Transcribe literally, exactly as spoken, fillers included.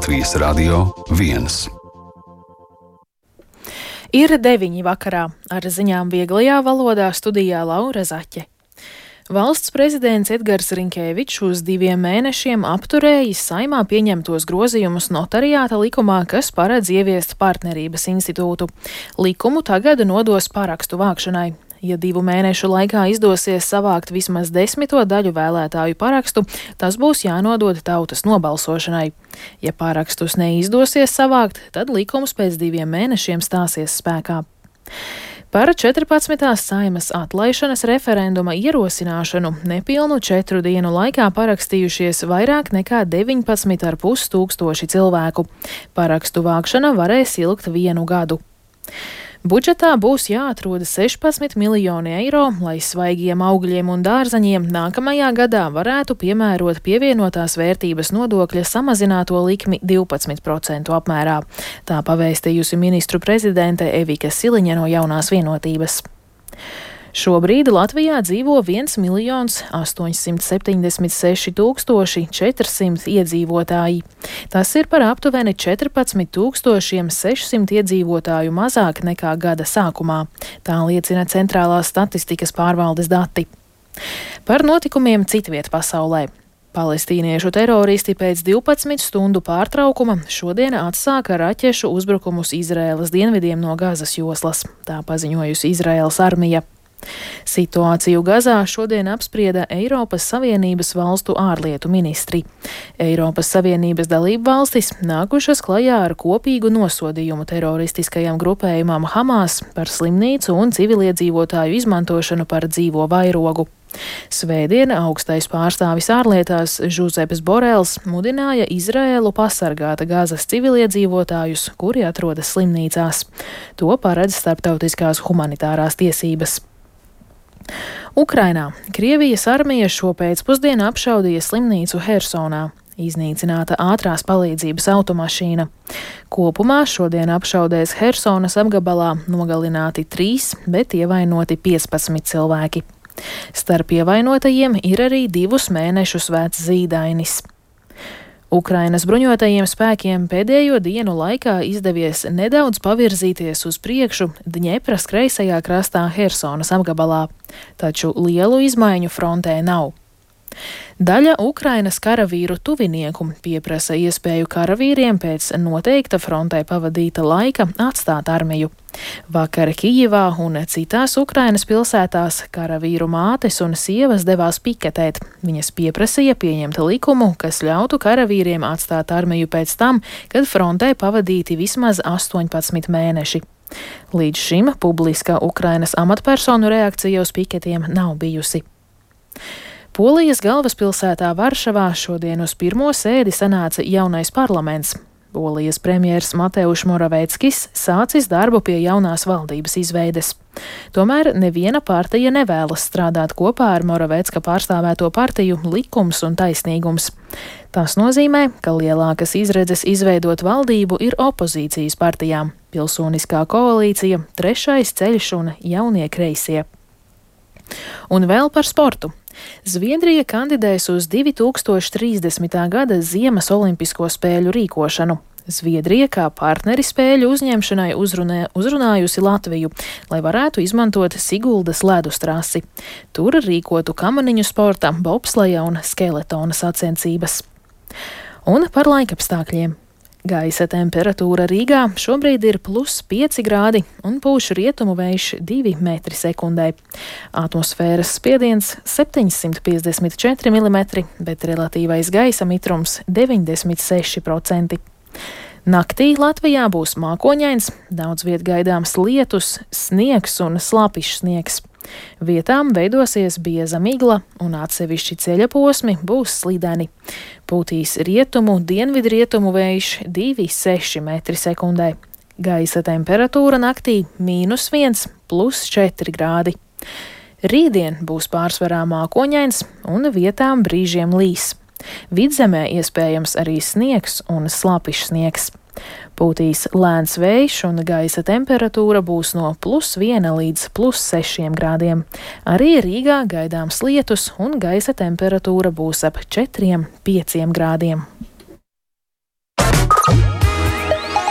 Latvijas Radio viens. Ir deviņi vakarā. Ar ziņām vieglajā valodā studijā Laura Zaķe. Valsts prezidents Edgars Rinkēvičs uz diviem mēnešiem apturējis Saeimā pieņemtos grozījumus notariāta likumā, kas paredz ieviest partnerības institūtu. Likumu tagad nodos parakstu vākšanai. Ja divu mēnešu laikā izdosies savākt vismaz desmito daļu vēlētāju parakstu, tas būs jānodod tautas nobalsošanai. Ja parakstus neizdosies savākt, tad likums pēc diviem mēnešiem stāsies spēkā. Par četrpadsmitās Saeimas atlaišanas referenduma ierosināšanu nepilnu četru dienu laikā parakstījušies vairāk nekā deviņpadsmit ar pus tūkstoši cilvēku. Parakstu vākšana varēs ilgt vienu gadu. Budžetā būs jāatrod sešpadsmit miljoni eiro, lai svaigiem augļiem un dārzaņiem nākamajā gadā varētu piemērot pievienotās vērtības nodokļa samazināto likmi divpadsmit procentu apmērā. Tā pavēstījusi ministru prezidente Evika Siliņa no Jaunās vienotības. Šobrīd Latvijā dzīvo viens miljons astoņsimt septiņdesmit seši tūkstoši četrsimt iedzīvotāji. Tas ir par aptuveni četrpadsmit tūkstošiem sešsimt iedzīvotāju mazāk nekā gada sākumā. Tā liecina Centrālās statistikas pārvaldes dati. Par notikumiem citviet pasaulē. Palestīniešu teroristi pēc divpadsmit stundu pārtraukuma šodien atsāka raķešu uzbrukumus Izraēlas dienvidiem no Gazas joslas. Tā paziņojusi Izraēlas armija. Situāciju Gazā šodien apsprieda Eiropas Savienības valstu ārlietu ministri. Eiropas Savienības dalību valstis nākušas klajā ar kopīgu nosodījumu teroristiskajam grupējumam Hamas par slimnīcu un civiliedzīvotāju izmantošanu par dzīvo vairogu. Svētdien augstais pārstāvis ārlietās Žuzeps Borels mudināja Izraēlu pasargāt Gazas civiliedzīvotājus, kuri atrodas slimnīcās. To paredz starptautiskās humanitārās tiesības. Ukrainā Krievijas armija šo pēcpusdienu apšaudīja slimnīcu Hersonā. Iznīcināta ātrās palīdzības automašīna. Kopumā šodien apšaudēs Hersonas apgabalā nogalināti trīs, bet ievainoti piecpadsmit cilvēki. Starp ievainotajiem ir arī divus mēnešus vecs zīdainis. Ukrainas bruņotajiem spēkiem pēdējo dienu laikā izdevies nedaudz pavirzīties uz priekšu Dņepras kreisajā krastā Hersonas apgabalā, taču lielu izmaiņu frontē nav. Daļa Ukrainas karavīru tuvinieku pieprasa iespēju karavīriem pēc noteikta frontē pavadīta laika atstāt armiju. Vakar Kijivā un citās Ukrainas pilsētās karavīru mātes un sievas devās piketēt. Viņas pieprasīja pieņemt likumu, kas ļautu karavīriem atstāt armiju pēc tam, kad frontē pavadīti vismaz astoņpadsmit mēneši. Līdz šim publiska Ukrainas amatpersonu reakcija uz piketiem nav bijusi. Polijas galvaspilsētā Varšavā šodien uz pirmo sēdi sanāca jaunais parlaments. Polijas premjers Mateuš Moravieckis sācis darbu pie jaunās valdības izveides. Tomēr neviena partija nevēlas strādāt kopā ar Moraviecka pārstāvēto partiju Likums un taisnīgums. Tas nozīmē, ka lielākas izredzes izveidot valdību ir opozīcijas partijām - Pilsoniskā koalīcija, Trešais ceļš un Jaunie kreisie. Un vēl par sportu. Zviedrija kandidēs uz divi tūkstoši trīsdesmitā gada Ziemas olimpisko spēļu rīkošanu. Zviedrija kā partneri spēļu uzņemšanai uzrunē, uzrunājusi Latviju, lai varētu izmantot Siguldas ledus trasi. Tur rīkotu kamaniņu sporta, bobsleja un skeletona sacensības. Un par laikapstākļiem. Gaisa temperatūra Rīgā šobrīd ir plus pieci grādi un pūš rietumu vējš divi metri sekundē. Atmosfēras spiediens septiņsimt piecdesmit četri milimetri, bet relatīvais gaisa mitrums deviņdesmit seši procenti. Naktī Latvijā būs mākoņains, daudz viet gaidāms lietus, sniegs un slapišs sniegs. Vietām veidosies bieza migla un atsevišķi ceļa posmi būs slideni. Pūtīs rietumu, dienvidrietumu vējš divi seši metri sekundē. Gaisa temperatūra naktī mīnus viens, plus četri grādi. Rītdien būs pārsvarā mākoņains un vietām brīžiem līs. Vidzemē iespējams arī sniegs un slapišs sniegs. Pūtīs lēns vējš un gaisa temperatūra būs no plus viena līdz plus sešiem grādiem. Arī Rīgā gaidāms lietus un gaisa temperatūra būs ap četriem pieciem grādiem.